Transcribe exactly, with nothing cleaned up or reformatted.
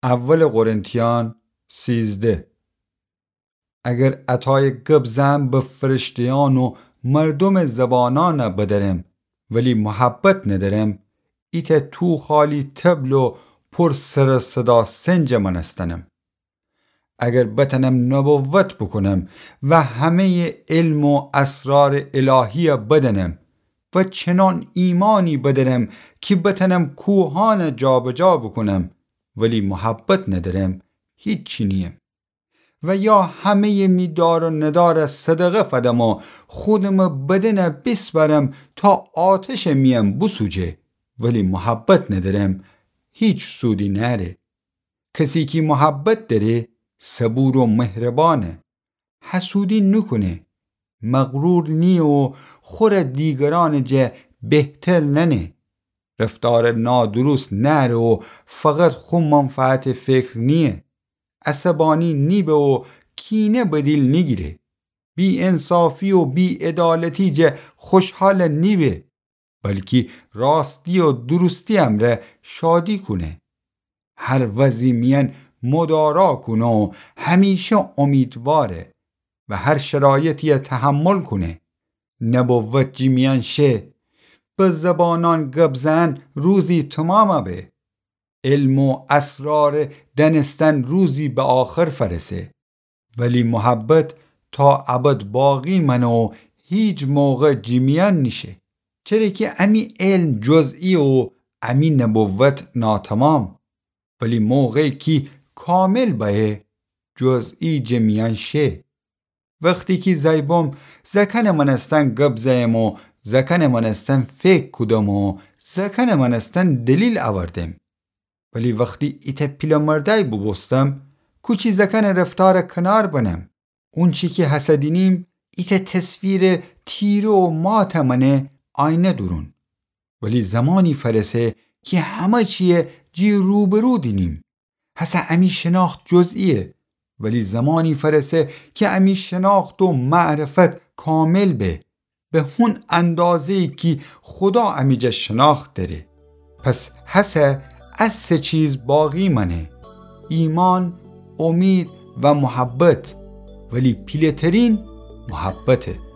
اول قرنتیان سیزده. اگر عطایٚ گب زئن به فرشته‌یأن و مردومٚ زبانأن بدرم، ولی محبت ندرم، ایتأ توخالی طبل و پر سر و صدا سنج مأنستنم. اگر بتأنم نبوت بوکونم و همه‌یٚ علم و اسرارٚ الهی بدأنم و چنان ایمانی بدرم کی بتأنم کوهأن جابجا بوکونم، ولی محبت ندرم، هیچی نییم. و یا همه‌یٚ می دار و ندار صدقه فدم و خودم بدن بیسپرم تا آتشٚ میأن بوسوجه، ولی محبت ندرم، هیچ سودی نأره. کسی کی محبت دأره، صبور و مهربانه. حسودی نوکونه، مغرور نییه و خور دیگرأنٚ جه بهتر نأنه. رفتارٚ نادروست نأره و فقط خو منفعتٚ فکر نییه. عصبانی نیبه و کینه به دیل نیگیره. بی‌انصافی و بی‌عدالتی جه خوشحال نیبه، بلکی راستی و درستی امرأ شادی کونه. هر وضعی میأن مدارا کونه و همیشه امیدواره و هر شرایطی تحمل کونه. نبوت جی میأن شه، به زبانأن گب زئن روزی تومام به. علم و اسرارٚ دأنستن روزی به آخر فأرسه. ولی محبت تا ابد باقی مأنه و هیچ موقع جی میأن نیشه. چره کی امی علم جزئیه و امی نبوت ناتمام. ولی موقعی کی کامل بأیه، جزئی جٚه میأن شه. وختی کی زأی بوم، زأکأنٚ مأنستن گب زأیم و زأکأنٚ مأنستن فکر کودم و زأکأنٚ مأنستن دلیل اوردم. ولی وختی ایتأ پیله‌مردأی بوبوستم، کوچی زأکأنٚ رفتارٚ کنار بنم. اونچی کی هسه دینیم، ایتأ تصویرٚ تیره و ماتٚ مأنه آینه دورون. ولی زمانی فأرسه کی همه چیی جی روبرو دینیم. هسه امی شناخت جزئیه، ولی زمانی فأرسه کی امی شناخت و معرفت کامل به، به هون اندازه‌یی کی خودا امی جا شناخت دأره. پس هسه ا سه چیز باقی مأنه: ایمأن، امید و محبت. ولی پیله‌ترین محبته.